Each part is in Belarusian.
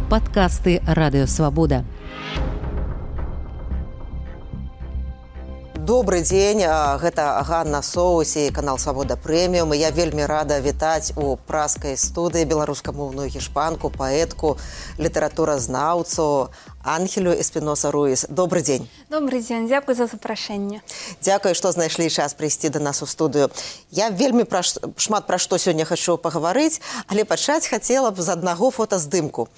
Падкасты Радыёвабода. Добрый дзень, гэта Ганна Соусі, канал Свабода Прэміум. Я вельмі рада вітаць у праскай студыі беларускамоўную гішпанку, паэтку, літаратуразнаўцу Ангелю Эспіноса Руіс. Добрый дзень. Добрый дзень, дзякуй за запрашэнне. Дзякуй, што знайшлі час прыйсці да нас у студыю. Я вельмі шмат пра што сёння хачу пагаварыць, але пачаць хацела б з аднаго фотаздымку.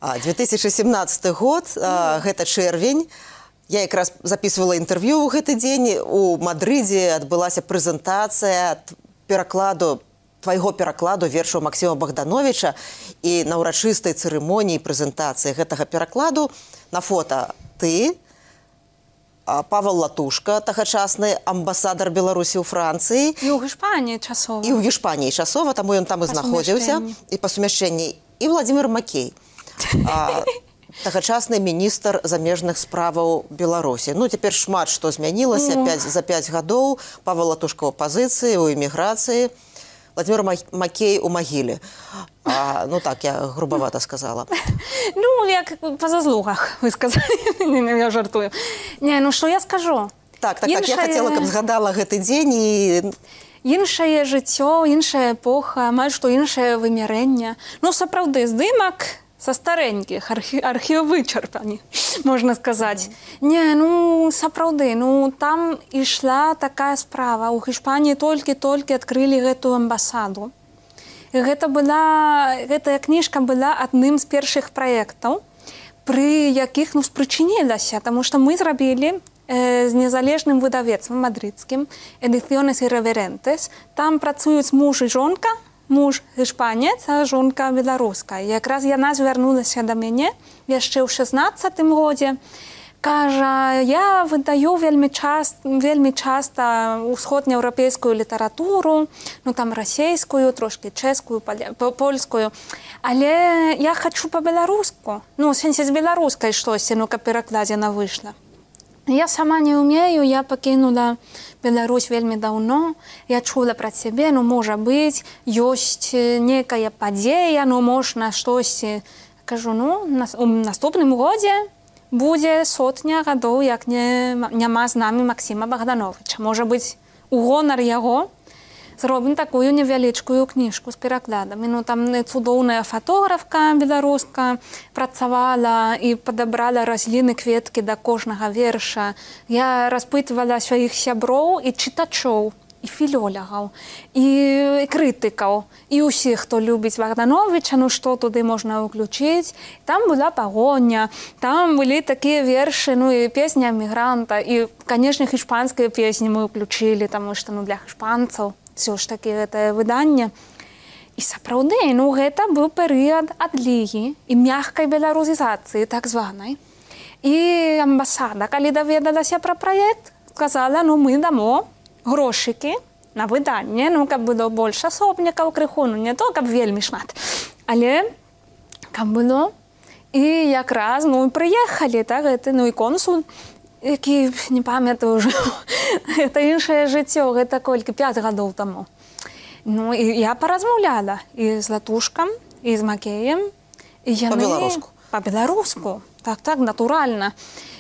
2017 год, гэта чэрвень. Я якраз записывала інтэрв'ю ў гэты дзень. У Мадрыдзе адбылася прэзентацыя твайго перакладу вершаў Максіма Богдановича, і на ўрачыстай цырымоніі прэзентацыі гэтага перакладу на фота ты, Павел Латушка, тагачасны амбасадар Беларусі ў Францыі. І ў Гішпаніі часова. І ў Гішпаніі часова, таму ён там і знаходзіўся. І па сумяшчэнні. І Владзімир Макей. Тагачасны міністр замежных справаў Беларусі. Ну, цяпер шмат што змянілася за 5 гадоў. Павел Латушка ў апазіцыі, у эміграцыі. Владзімир Макей у магіле. Ну так, я грубавата сказала. Ну, як па заслугах, вы сказали. Я жартую. Не, ну што я скажу? Так, я хацела, каб згадала гэты дзень і... Іншае жыццё, іншая эпоха, амаль што іншае вымярэнне. Ну, сапраўды, здымак са старенькіх, архіў вычарпані, можна сказаць. Не, ну, сапраўды, ну, там ішла такая справа. У Гішпаніі толькі адкрылі гэтую амбасаду. І гэтая кніжка была адным з першых праектаў, пры якіх, ну, спрычынілася, таму што мы зрабілі з незалежным выдавецтвам мадрыдскім «Ediciones Irreverentes». Там працуюць муж і жонка, муж гішпанец, а жонка беларуска. І якраз яна звярнулася да мяне яшчэ ў 16-м годзе. Кажа, я выдаю вельмі часта усходнеўрапейскую літаратуру, ну там расейскую, трошкі чэшскую, польскую. Але я хачу па-беларуску. Ну, в сэнсе з беларускай штосьці, ну, каб перакладзена выйшла. Я сама не ўмею, я пакінула Беларусь вельмі даўно. Я чула пра цябе, ну, можа быць, ёсць некая падзея, ну, можна штосьці. Кажу, ну, у наступным годзе будзе 100 гадоў, як няма з намі Максіма Богдановича. Можа быць, у гонар яго зробім такую невялічкую кніжку з перакладамі. Ну, там цудоўная фатографка беларуска працавала і падабрала разліны, кветкі да кожнага верша. Я распытвала сваіх сяброў і чытачоў, і філёлагаў, і крытыкаў, і ўсіх, хто любіць Богдановича, ну, што туды можна ўключыць. Там была пагоня, там былі такія вершы, ну, і песня эмігранта, і, канешне, гішпанскія песні мы ўключылі, таму што, ну, для гішпанцаў все ж таки гэтае выданне. І сапраўды, ну, гэта быў перыяд адлігі і мягкай беларусізацыі, так званай. І амбасада, калі даведалася пра праект, сказала, ну, мы дамо грошыкі на выданне, ну, каб было больш асобнікаў крыху, ну, не то, каб вельмі шмат, але каб было. І якраз, ну, прыехалі, так, гэты, ну, і консул, які, не памятаю ўжо, гэта іншае жыццё, гэта колькі, 5 гадоў таму. Ну, і я паразмаўляла і з Латушкам, і з Макеем. Па-беларуску? Па-беларуску, так, натуральна.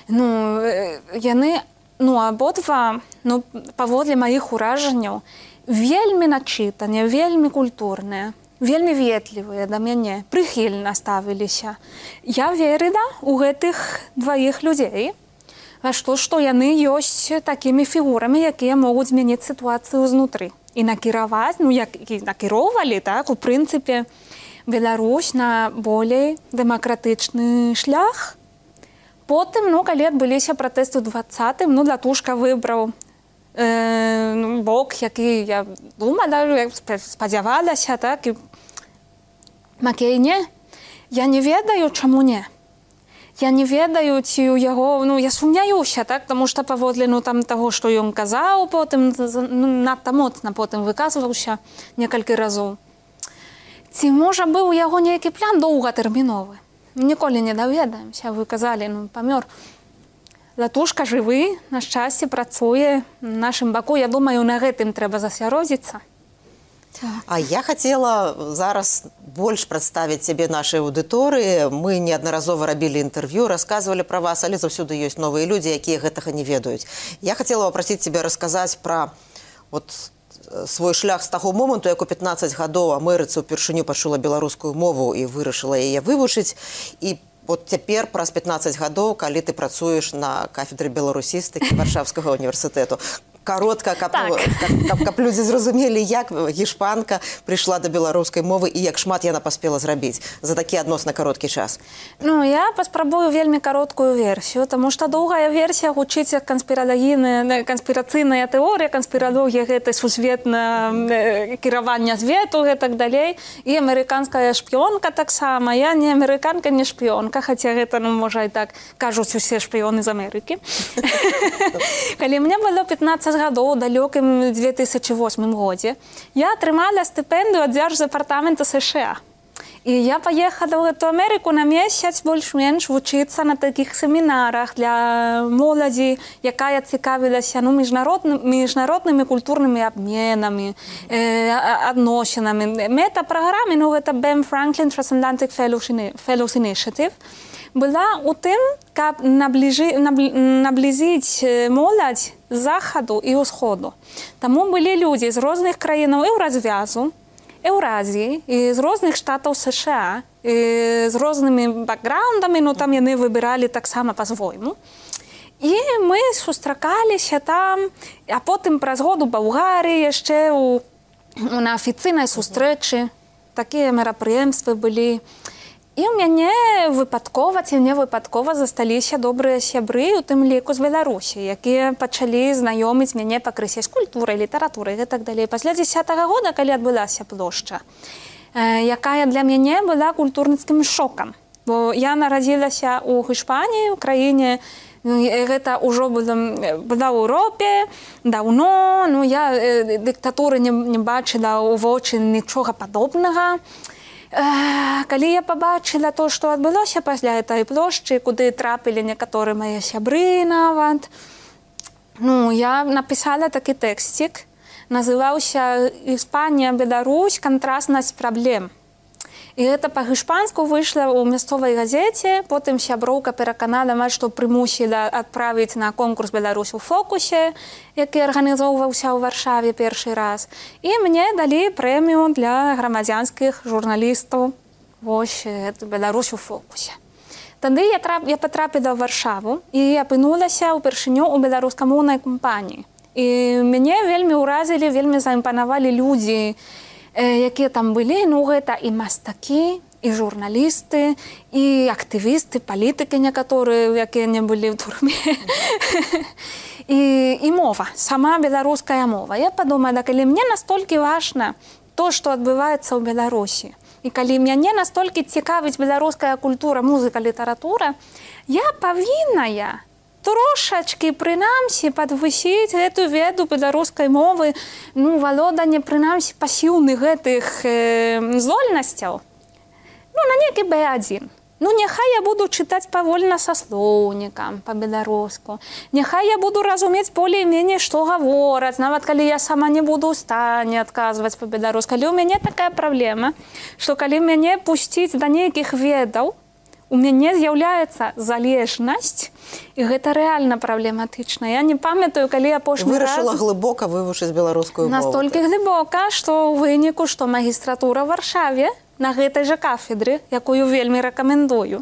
Ну, яны, ну, абодва, ну, паводле маіх уражанняў, вельмі начытаныя, вельмі культурныя, вельмі ветлівыя да мяне, прыхільна ставіліся. Я верыла ў гэтых дваіх людзей, што яны ёсць такімі фігурамі, якія могуць змяніць сітуацыю знутры. І накіраваць, ну, як і накіроўвалі, так, у прынцыпе, Беларусь на болей дэмакратычны шлях. Потым, ну, калі адбыліся пратэсты ў 20-м, ну, Латушка выбраў бок, які я думала, спадзявалася, так, і Макей не. Я не ведаю, чаму не. Я не ведаю, ці у яго, ну, я сумняюся, так, таму што паводле, ну, там таго, што ён казаў потым, ну, надта моцна потым выказваўся некалькі разоў. Ці, можа, быў у яго нейкі план доўгатэрміновы? Ніколі не даведаемся, вы казалі, ну, памёр. Латушка жывы, на шчасце працуе на нашым баку. Я думаю, на гэтым трэба засяродзіцца. А я хотела зараз больш прадставіць цябе нашай аўдыторыі. Мы неаднаразова рабілі інтэрв'ю, расказвалі пра вас, але заўсёды ёсць новыя людзі, якія гэтага не ведаюць. Я хотела попросіць цябе расказаць пра свой шлях з таго моманту, як у 15 гадоў Амерыцы ўпершыню пачула беларускую мову і вырашыла яе вывучыць. І цяпер праз 15 гадоў, калі ты працуеш на кафедры беларусістыкі Варшавскага універсітэту. Коротко, каб людзі зразумелі, як гішпанка прыйшла да беларускай мовы і як шмат яна паспела зрабіць за такі адносна кароткі час. Я паспрабую вельмі кароткую версію, таму што доўгая версія гучыць як канспірацыйная тэорыя, канспіралогія гэта сусветна кіравання свету, гэтак далей. І амерыканская шпіёнка таксама. Я не амерыканка, не шпіёнка, хаця гэта, можа, і так кажуць усе шпіёны з Амерыкі. Калі мне было 15 гадоў, далёкім 2008 годзе, я атрымала стыпендыю ад дзярждэпартамента США. І я паехала ў гэту Амерыку на месяц больш-менш вучыцца на такіх семінарах для моладзі, якая цікавілася міжнароднымі культурнымі абменамі, адносінамі. Мета-праграмы, гэта BEM Franklin Transatlantic Fellows Initiative, была у тым, каб наблізіць моладзь з захаду і ўсходу. Таму былі людзі з розных краінаў Еўразвязу, Еўразіі і з розных штатаў США, і з рознымі бэкграундамі, там яны выбіралі таксама па-свойму. І мы сустракаліся там, а потым праз год у Балгарыі яшчэ на афіцыйнай сустрэчы. Такія мерапрыемствы былі. І ў мяне выпадкова ці не выпадкова засталіся добрыя сябры, у тым ліку з Беларусі, якія пачалі знаёміць мяне пакрысе з культурай, літаратурай і так далей. Пасля 10-го года, калі адбылася плошча, якая для мяне была культурніцкім шокам. Бо я нарадзілася ў Іспаніі, у краіне, гэта ўжо была ў Еўропе даўно, я дыктатуры не бачыла ў вочы нічога падобнага. Калі я пабачыла то, што адбылося пасля гэтай плошчы, куды трапілі некаторыя мае сябры нават, я напісала такі тэксцік, называўся «Іспанія, Беларусь. Кантрастнасць праблем». І гэта па-гішпанску выйшла ў мясцовай газеце, потым сяброўка пераканала, што прымусіла адправіць на конкурс «Беларусь у фокусе», які арганізоўваўся ў Варшаве першы раз. І мне далі прэмію для грамадзянскіх журналістаў. Вось, «Беларусь у фокусе». Тады я патрапіла ў Варшаву і апынулася ўпершыню ў беларускамоўнай кампаніі. І мяне вельмі ўразілі, вельмі заімпанавалі людзі, якія там былі, гэта і мастакі, і журналісты, і актывісты, палітыкі некаторыя, якія не былі ў турме. І мова, сама беларуская мова. Я падумала, калі мне настолькі важна то, што адбываецца ў Беларусі, і калі мяне настолькі цікавіць беларуская культура, музыка, літаратура, я павінная трошачкі, прынамсі, падвысіць гэту веду беларускай мовы, валоданне, прынамсі, пасіўных гэтых здольнасцяў, на нейкі B1. Няхай я буду чытаць павольна са слоўнікам па-беларуску. Няхай я буду разумець болей-меней, што гавораць, нават калі я сама не буду ў стане адказваць па-беларуску. Але ў мяне такая праблема, што калі мяне пусціць да нейкіх ведаў, у мяне з'яўляецца залежнасць, і гэта рэальна праблематычна. Я не памятаю, калі апошні раз... Вырашыла глыбока вывучыць беларускую мову. Настолькі глыбока, што ў выніку, што магістратура ў Варшаве на гэтай жа кафедры, якую вельмі рэкамендую.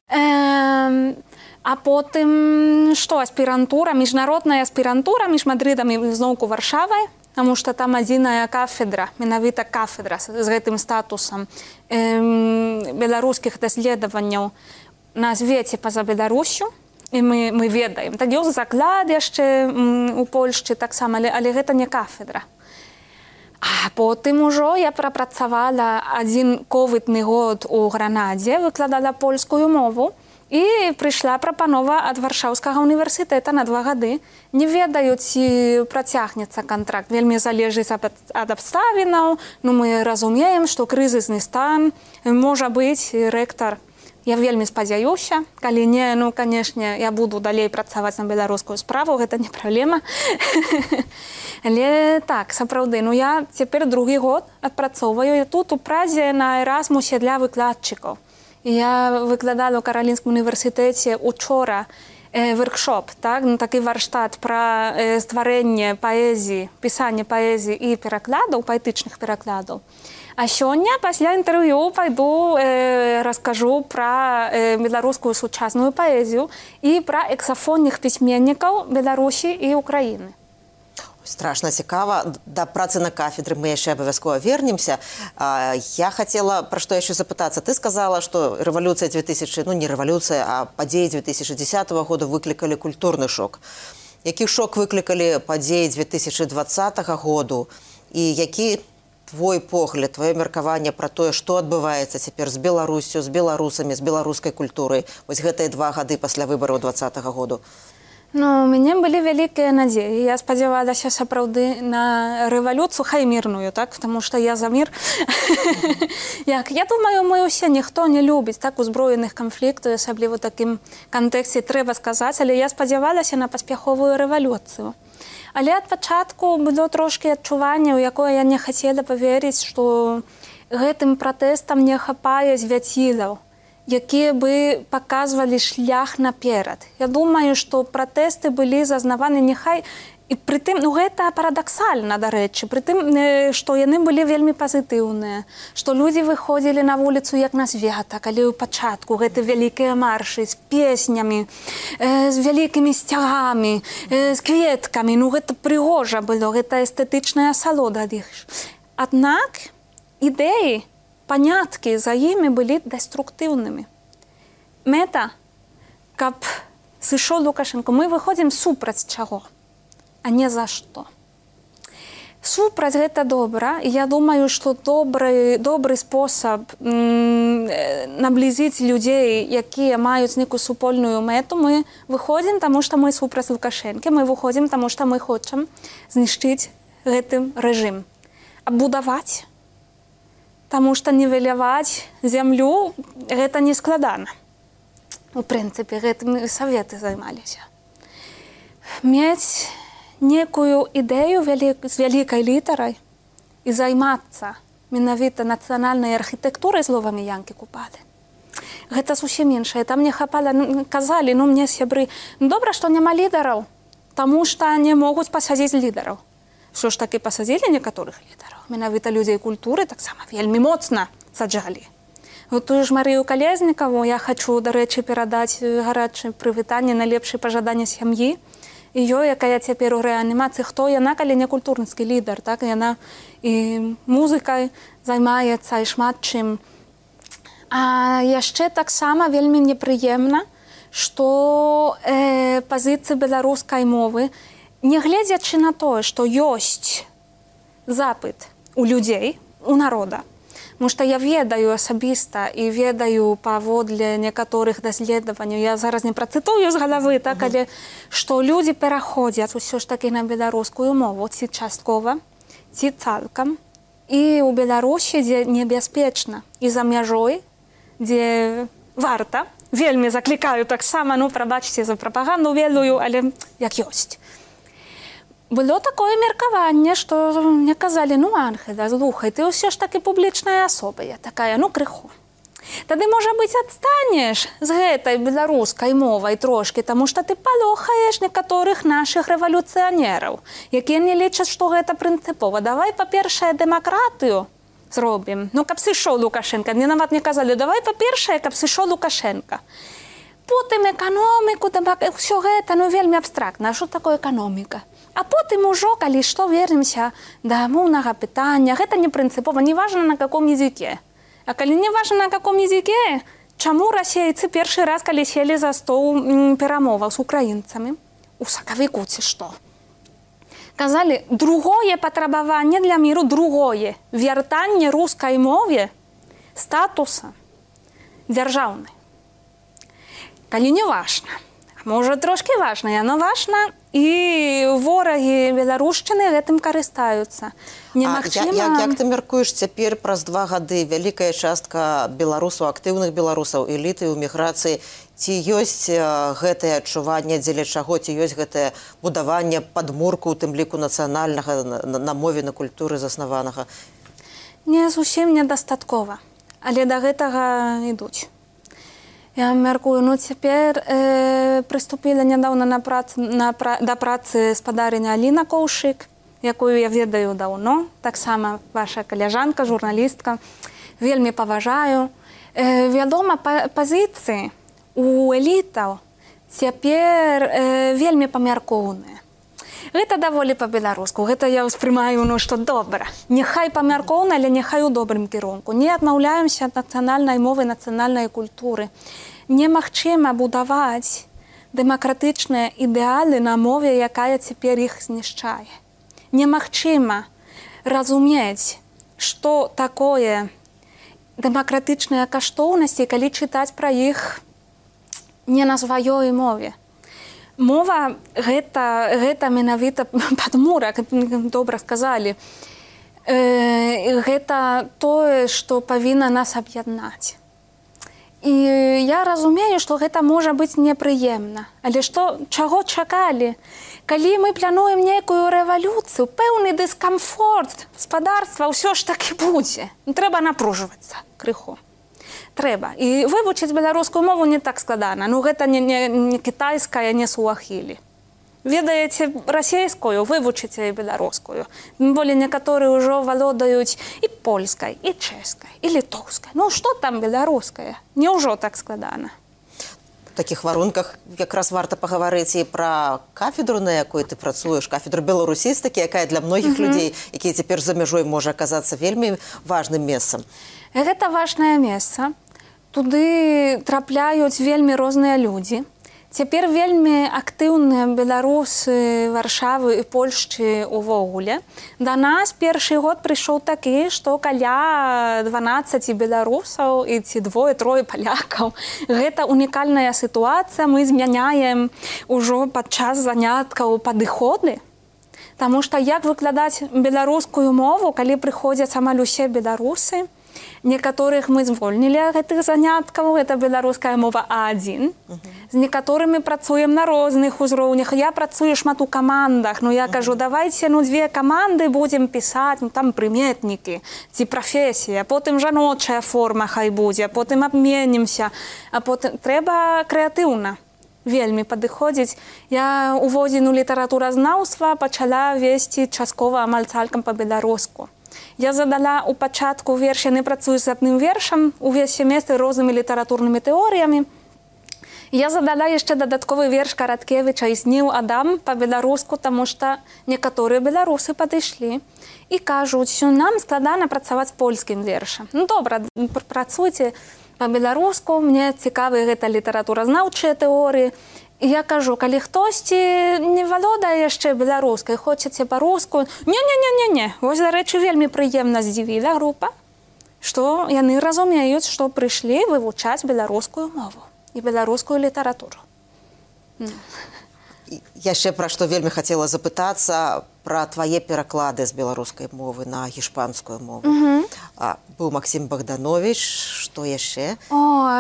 А потым, што аспірантура, міжнародная аспірантура між Мадридам і зноўку Варшавай, таму што там адзіная кафедра, менавіта кафедра з гэтым статусам беларускіх даследаванняў на свеце па-за Беларусю, і мы ведаем. Так ёсць заклад яшчэ у Польшчы таксама, але гэта не кафедра. А потым ужо я прапрацавала адзін ковідны год у Гранадзе, выкладала польскую мову, і прыйшла прапанова ад Варшаўскага універсітэта на 2 гады. Не ведаю, ці працягнецца кантракт. Вельмі залежыць ад абставінаў. Мы разумеем, што крызісны стан. Можа быць, рэктар Я вельмі спадзяюся, калі не, ну, канешне, я буду далей працаваць на беларускую справу, гэта не праблема. Але так, сапраўды, ну, я цяпер другі год адпрацоўваю тут у Празе на Эразмусе для выкладчыкаў. Я выкладала ў Каралінскім універсітэце учора воркшоп, так, ну, такі варштат пра стварэнне паэзіі, пісанне паэзіі і перакладаў, паэтычных перакладаў. А сёння пасля інтэрв'ю пайду раскажу пра беларускую сучасную паэзію і пра эксафонных пісьменнікаў Беларусі і Украіны. Страшно цікава. Да працы на кафедры мы яшчэ абавязкова вернемся. Я хотела пра што яшчэ запытацца. Ты сказала, што рэвалюцыя 2000, ну не рэвалюцыя, а падзеі 2010 года выклікалі культурны шок. Які шок выклікалі падзеі 2020 году і які твой погляд, твоё меркаванне пра тое, што адбываецца цяпер з Беларусю, з беларусамі, з беларускай культурай вось гэтыя 2 гады пасля выбараў 2020 году? Ну, у мяне былі вялікія надзеі. Я спадзявалася сапраўды на рэвалюцыю, хай мірную, так? Таму што я за мір. Я думаю, мы ўсе ніхто не любіць так узброеных канфліктаў, асабліва ў такім кантэксце трэба сказаць, але я спадзявалася на паспяховую рэвалюцыю. Але ад пачатку было трошкі адчуванне, у якое я не хацела паверыць, што гэтым пратэстам не хапае звяцілаў, якія бы паказвалі шлях наперад. Я думаю, што пратэсты былі зазнаваны няхай, і прытым, ну гэта парадаксальна, дарэчы, прытым, што яны былі вельмі пазітыўныя, што людзі выходзілі на вуліцу як на свята, калі ў пачатку гэты вялікія маршы з песнямі, з вялікімі сцягамі, з кветкамі, ну гэта прыгожа было, гэта эстэтычная асалода ад іх. Аднак ідэі, паняткі за імі былі деструктыўнымі. Мэта, каб сышоў Лукашенко, мы выходзім супраць чаго, а не за што. Супраць гэта добра, і я думаю, што добры спосаб наблізіць людзей, якія маюць нейкую супольную мэту, мы выходзім, таму што мы супраць Лукашэнкі, мы выходзім, таму што мы хочам знішчыць гэты рэжым. Абудаваць, таму што нівеляваць зямлю гэта не складана. У прынцыпе, гэтым саветы займаліся. Мець некую ідэю з вялікай літарай і займацца менавіта нацыянальнай архітэктурай словамі Янкі Купалы. Гэта зусім іншае. Там не хапала, казалі, ну мне сябры, добра, што няма лідараў, таму што не могуць пасадзіць лідараў. Що ж такі пасадзілі некаторых лідараў. Менавіта людзей культуры таксама вельмі моцна саджалі. Тую ж Марыю Калезнікаву я хачу, дарэчы, перадаць гарачае прывітанне, найлепшыя пажаданні сям'і. І ёй, якая цяпер у рэанімацыі, хто яна, калі не культурніцкі лідар, так? Яна і музыкай займаецца, і шмат чым. А яшчэ таксама вельмі непрыемна, што пазіцыі беларускай мовы, не гледзячы на тое, што ёсць запыт у людзей, у народа, потому што я ведаю асабіста і ведаю паводле некаторых даследаванняў, я зараз не працытую з галавы, так, але што людзі пераходзяць усё ж такі на беларускую мову, ці часткова, ці цалкам. І ў Беларусі, дзе небяспечна, і за мяжой, дзе варта, вельмі заклікаю таксама, ну, прабачце за прапаганду ведаю, але як ёсць. Было такое меркаванне, што мне казалі, ну, Ангела, слухай, ты ўсё ж такі публічная асоба, я такая, ну, крыху. Тады, можа быць, адстанеш з гэтай беларускай мовай трошкі, таму што ты палохаеш некаторых нашых рэвалюцыянераў, якія не лічаць, што гэта прынцыпова. Давай, па-першае, дэмакратыю зробім. Ну, каб сышоў Лукашенко. Мне нават не казалі, давай, па-першае, каб сышоў Лукашенко. Потым эканоміку, ўсё гэта, ну, вельмі абстрактна. А што такое эканоміка? А потым ужо, калі што, вернемся да моўнага пытання. Гэта не прынцыпова, не важна на каком языке. А калі не важна на каком языке, чаму расейцы першы раз, калі сели за стол перамоваў з украінцамі, у сакавіку ці што? Казалі, другое патрабаванне для міру, другое вяртанне рускай мове статуса дзяржаўнай. Калі не важна, можа трошкі важна, яно важна і ворагі беларушчыны гэтым карыстаюцца. Як ты мяркуеш, цяпер праз 2 гады вялікая частка беларусаў, актыўных беларусаў, эліты ў міграцыі, ці ёсць гэтае адчуванне, дзеля чаго, ці ёсць гэтае будаванне падмурку, у тым ліку нацыянальнага, на мове, на культуры заснаванага? Не зусім недастаткова, але да гэтага ідуць. Я мяркую, цяпер прыступіла нядаўна да працы спадарыня Аліна Коўшык, якую я ведаю даўно, таксама ваша каляжанка, журналістка, вельмі паважаю. Вядома, пазіцыі у элітаў цяпер вельмі памяркоўныя. Гэта даволі па-беларуску, гэта я ўспрымаю, што добра. Няхай памяркоўна, але няхай у добрым кірунку. Не адмаўляемся ад нацыянальнай мовы, нацыянальнай культуры. Немагчыма будаваць дэмакратычныя ідэалы на мове, якая цяпер іх знішчае. Немагчыма разумець, што такое дэмакратычныя каштоўнасці, калі чытаць пра іх не на сваёй мове. Мова гэта менавіта падмурак, добра сказалі. Гэта тое, што павінна нас аб'яднаць. І я разумею, што гэта можа быць непрыемна. Але чаго чакалі? Калі мы плануем нейкую рэвалюцыю, пэўны дыскамфорт гаспадарства ўсё ж такі будзе. Трэба напружвацца крыху. Трэба. І вывучыць беларускую мову не так складана. Гэта не кітайская, не суахілі. Ведаеце расейскую, вывучыце і беларускую. Тым болей некаторыя ўжо валодаюць і польскай, і чэшскай, і літоўскай. Што там беларуская? Няўжо так складана? У такіх варунках якраз варта пагаварыць і пра кафедру, на якой ты працуеш, кафедру беларусістыкі, якая для многіх людзей, якія цяпер за мяжой, можа аказацца вельмі важным месцам. Гэта важнае месца. Туды трапляюць вельмі розныя людзі. Цяпер вельмі актыўныя беларусы Варшавы і Польшчы увогуле. Да нас першы год прыйшоў такі, што каля 12 беларусаў і ці 2-3 палякаў. Гэта унікальная сітуацыя. Мы змяняем ужо падчас заняткаў падыходы. Таму што як выкладаць беларускую мову, калі прыходзяць амаль усе беларусы? Некаторых мы звольнілі ад гэтых заняткаў, гэта беларуская мова А1. З некаторымі працуем на розных узроўнях. Я працую шмат у камандах, я кажу, давайце 2 каманды будзем пісаць, там прыметнікі, ці прафесія, потым жаночая форма хай будзе, потым абменімся, а потым трэба крэатыўна. Вельмі падыходзіць. Я уводзіну літаратуразнаўства пачала весці часткова амаль цалкам па-беларуску. Я задала у пачатку верш, я не працую з адным вершам, увесь семестр рознымі літаратурнымі тэорыямі. Я задала яшчэ дадатковы верш Караткевіча «І сніў Адам» па-беларуску, таму што некаторыя беларусы падышлі і кажуць, що нам складана працаваць польскім вершам. Добра, працуйце па-беларуску, мне цікавыя гэта літаратуразнаўчыя тэорыі. І я кажу, калі хтосьці не валодае яшчэ беларускай, хочаце па-руску, не. Вось, дарэчы, вельмі прыемна здзівіла група, што яны разумеюць, што прыйшлі вывучаць беларускую мову і беларускую літаратуру. Яшчэ пра што вельмі хацела запытацца, пра твае пераклады з беларускай мовы на гішпанскую мову. Быў Максім Богданович, што яшчэ?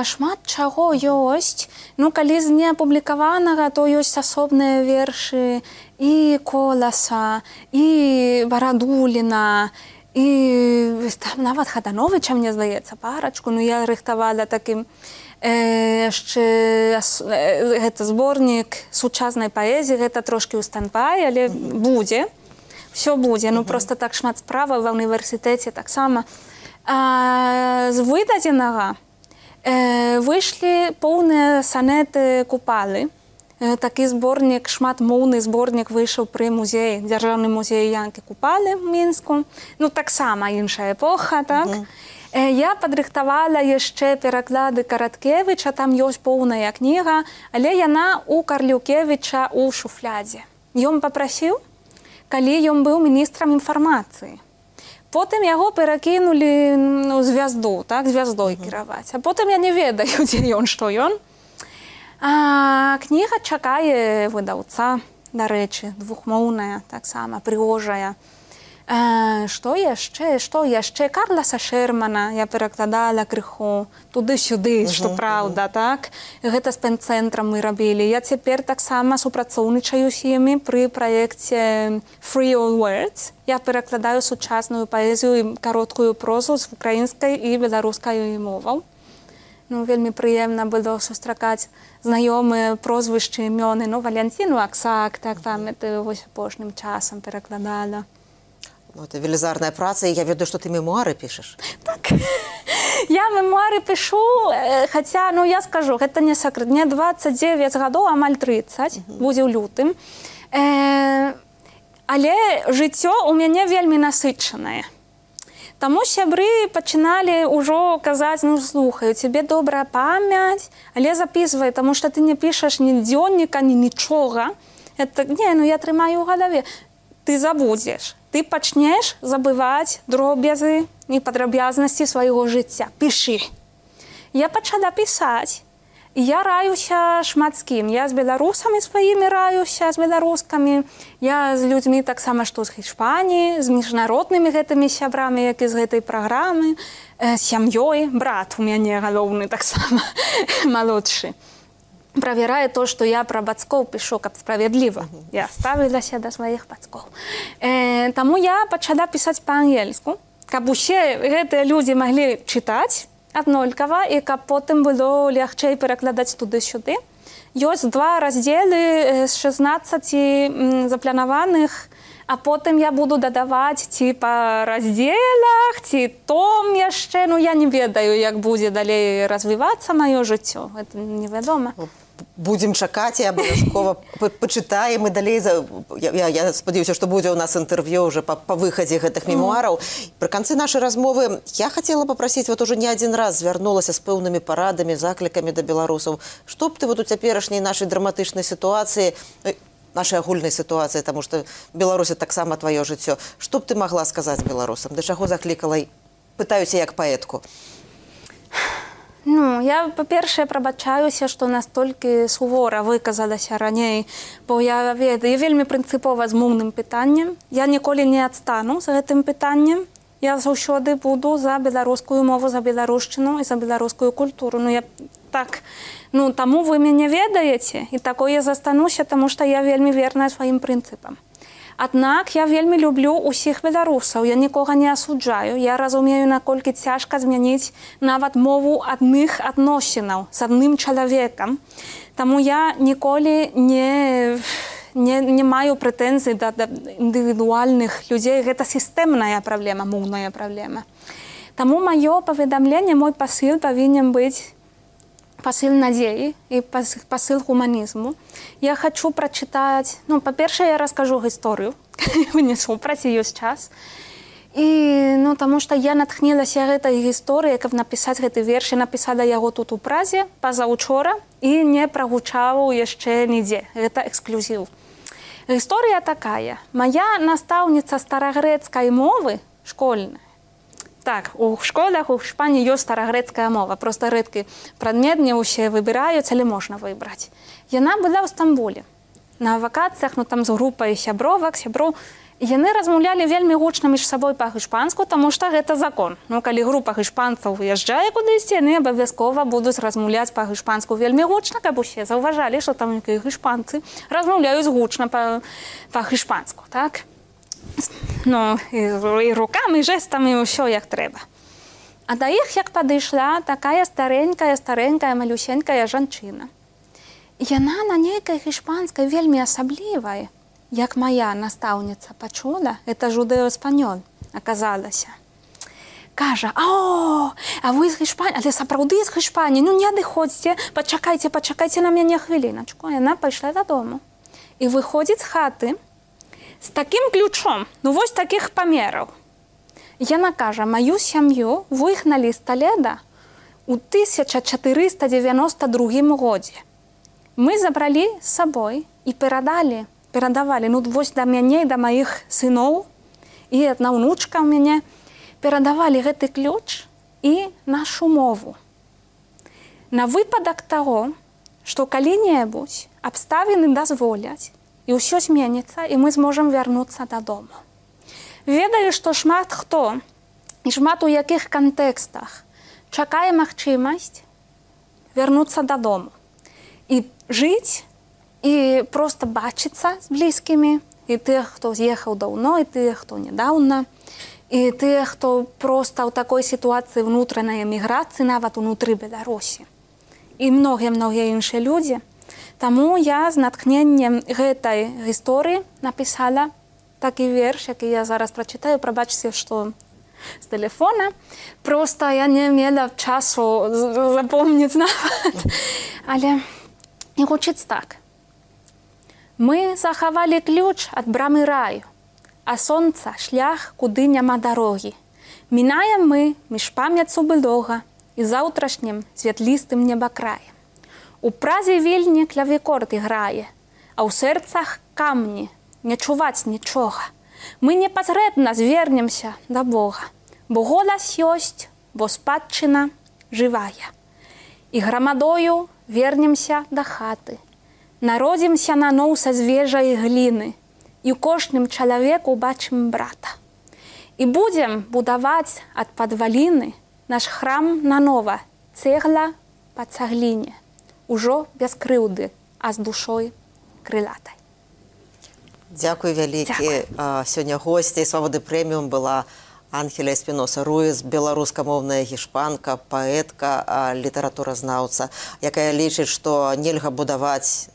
Шмат чаго ёсць. Калі з неапублікаванага, то ёсць асобныя вершы і Коласа, і Барадуліна, і нават Хадановича, мне здаецца, парачку. Я рыхтавала такім яшчэ гэта зборнік сучаснай паэзіі, гэта трошкі ў стандбай, але будзе. Всё будзе. Проста так шмат справаў ва ўніверсітэце таксама. З выдадзенага выйшлі поўныя санеты Купалы. Такі зборнік, шматмоўны зборнік выйшаў пры музеі, дзяржаўны музей Янкі Купалы ў Мінску. Таксама іншая эпоха, так? Я падрыхтавала яшчэ пераклады Караткевіча, там ёсць поўная кніга, але яна у Карлюкевіча ў шуфлядзе. Ён папрасіў, калі ён быў міністрам інфармацыі. Потым яго перакінулі ў звязду, так, звяздой кіраваць. А потым я не ведаю, дзе ён, што ён. Кніга чакае выдаўца. дарэчы, двухмоўная, таксама прыгожая. Што яшчэ? Карласа Шермана я перакладала крыху туды-сюды, што праўда, так? Гэта з пен-цэнтрам мы рабілі. Я цяпер таксама супрацоўнічаю з імі пры праекце Free All Words. Я перакладаю сучасную паэзію і кароткую прозу з украінскай і беларускай моваў. Ну, вельмі прыемна было сустракаць знаёмыя прозвішчы, імёны. Ну, Валянціну Аксак, так, там, это вось апошнім часам перакладала. Ну, это велізарная праца, і я ведаю, што ты мемуары пішаш. Так, я мемуары пишу, хаця, ну, я скажу, гэта не сакрэт. Мне 29 гадоў, амаль 30, будзе ў лютым. Але жыццё у мяне вельмі насычанае. Таму сябры пачыналі ўжо казаць, ну, слухай, у цябе добрая памяць, але запісвай, таму што ты не пішаш ні дзённіка, ні нічога. Это, не, ну, я трымаю ў галаве. Ты забудзеш. Ты пачнеш забываць дробязы і падрабязнасці свайго жыцця. Пішы. Я пачала пісаць. І я раюся шмат з кім. Я з беларусамі сваімі раюся, з беларускамі. Я з людзьмі таксама, што з Іспаніі, з міжнароднымі гэтымі сябрамі, як і з гэтай праграмы, сям'ёй. Брат у мяне галоўны таксама, малодшы. Правярае то, што я пра бацькоў пішу, каб справядліва. Я ставілася да сваіх бацькоў. Таму я пачала пісаць па-ангельску, каб усе гэтыя людзі маглі чытаць аднолькава і каб потым было лягчэй перакладаць туды-сюды. Ёсць 2 раздзелы з 16 запланаваных, а потым я буду дадаваць ці па раздзелах, ці том яшчэ. Ну, я не ведаю, як будзе далей развівацца маё жыццё. Гэта невядома. Будзем чакаць і абавязкова пачытаем і далей. Я спадзяюся, што будзе ў нас інтэрв'ю ўжо па выхадзе гэтых мемуараў. Пры канцы нашай размовы я хацела папрасіць, вот уже не адзін раз звярнулася з пэўнымі парадамі, заклікамі да беларусаў. Што б ты вот у цяперашняй нашай драматычнай сітуацыі, нашай агульнай сітуацыі, таму што Беларусь таксама тваё жыццё, што б ты магла сказаць беларусам? Да чаго заклікала? Пытаюся як паэтку. Ну, я, па-першае, прабачаюся, што настолькі сувора выказалася раней, бо я вельмі прынцыпова з моўным пытаннем. Я ніколі не адстану з гэтым пытаннем. Я заўсёды буду за беларускую мову, за беларушчыну і за беларускую культуру. Ну, я так, ну, таму вы мяне ведаеце, і такое застануся, таму што я вельмі верная сваім прынцыпам. Аднак я вельмі люблю ўсіх беларусаў, я нікога не асуджаю. Я разумею, наколькі цяжка змяніць нават мову адных адносінаў з адным чалавекам. Таму я ніколі не маю прэтэнзій да індывідуальных людзей. Гэта сістэмная праблема, моўная праблема. Таму маё паведамленне, мой пасыл павінен быць пасыл надзеі і пасыл гуманізму. Я хочу прачытаць, ну, па-першае, я раскажу гісторыю, вы не супраць, ёсць час. І, ну, таму што я натхнілася гэтай гісторыяй, каб напісаць гэты верш, я напісала яго тут у Празе пазаўчора і не прагучаў яшчэ нідзе. Гэта эксклюзіў. Гісторыя такая. Мая настаўніца старагрэцкай мовы школьная. Так, у школах у Іспаніі ёсць старагрэцкая мова. Проста рэдкі прадмет, не ўсе выбіраюць, але можна выбраць. Яна была ў Стамбуле. На вакацыях, ну там з групай сябровак, сяброў. Яны размаўлялі вельмі гучна між сабой па-іспанску, таму што гэта закон. Ну, калі група іспанцаў выязджае кудысьці, яны абавязкова будуць размаўляць па-іспанску вельмі гучна, каб усе заўважалі, што там якія іспанцы размаўляюць гучна па-іспанску, так? Ну, і рукамі, і жэстамі, і ўсё як трэба. А да іх як падышла такая старенькая, малюсенькая жанчына. Яна на нейкай іспанскай вельмі асаблівай, як моя настаўніца пачула, это жудэо-эспанёл аказалася. Кажа, а вы з Іспаніі, але сапраўды з Іспаніі, ну не адыходзьце, пачакайце на мяне хвіліначку. Яна пайшла дадому і выходзіць з хаты з такім ключом, ну вось такіх памераў. Яна кажа, маю сям'ю выгналі з Толеда ў 1492 годзе. Мы забралі з сабой і перадавалі, ну вось да мяне, да маіх сыноў, і адна ўнучка ў мяне, перадавалі гэты ключ і нашу мову. На выпадак таго, што калі-небудзь абставіны дазволяць, і ўсё зменіцца, і мы зможам вярнуцца дадому. Ведаю, што шмат хто і шмат у якіх кантэкстах чакае магчымасць вярнуцца дадому і жыць, і проста бачыцца з блізкімі, і тых, хто з'ехаў даўно, і тых, хто нядаўна, і тых, хто проста ў такой сітуацыі ўнутранай эміграцыі, нават унутры Беларусі. І многія іншыя людзі. Таму я з натхненнем гэтай гісторыі напісала такі верш, які я зараз прачытаю. Прабачце, што з тэлефона. Проста я не мела часу запомніць нават. Але і гучыць так. Мы захавалі ключ ад брамы раю, а сонца шлях, куды няма дарогі. Мінаем мы між памяцу былога і заўтрашнім святлістым небакраем. У празе вільні клавікорд іграе, а ў сэрцах камні, не чуваць нічога. Мы непасрэдна звернемся да Бога, бо голас ёсць, бо спадчына жывая. І грамадою вернемся да хаты, народзімся наноў са звежай гліны, і ў кожным чалавеку бачым брата. І будзем будаваць ад падваліны наш храм нанова, цэгла па цагліне, ужо без крыўды, а з душой крылатай. Дзякуй вялікі. Сёння госцяй «Свабоды прэміум» была Ангеля Эспіноса-Руіс, беларускамоўная гішпанка, паэтка, літаратуразнаўца, якая лічыць, што нельга будаваць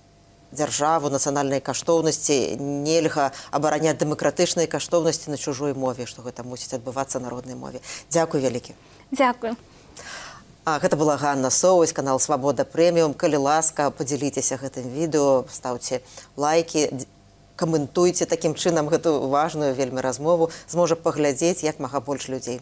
дзяржаву, нацыянальнай каштоўнасці, нельга абараняць дэмакратычнай каштоўнасці на чужой мове, што гэта мусіць адбывацца на роднай мове. Дзякуй вялікі. Дзякуй. Гэта была Ганна Соўвась, канал «Свабода прэміум». Калі ласка, падзяліцеся гэтым відэо, стаўце лайкі, каментуйце, такім чынам гэту важную вельмі размову зможа паглядзець як мага больш людзей.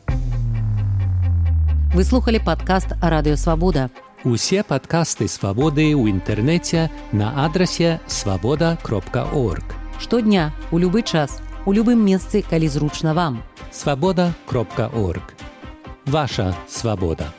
Вы слухали падкаст «Радыё Свабода». Усе падкасты «Свабоды» ў інтэрнэце на адрасе свабода.орг. Штодня, у любы час, у любым месцы, калі зручна вам. Свабода.орг. Ваша свабода.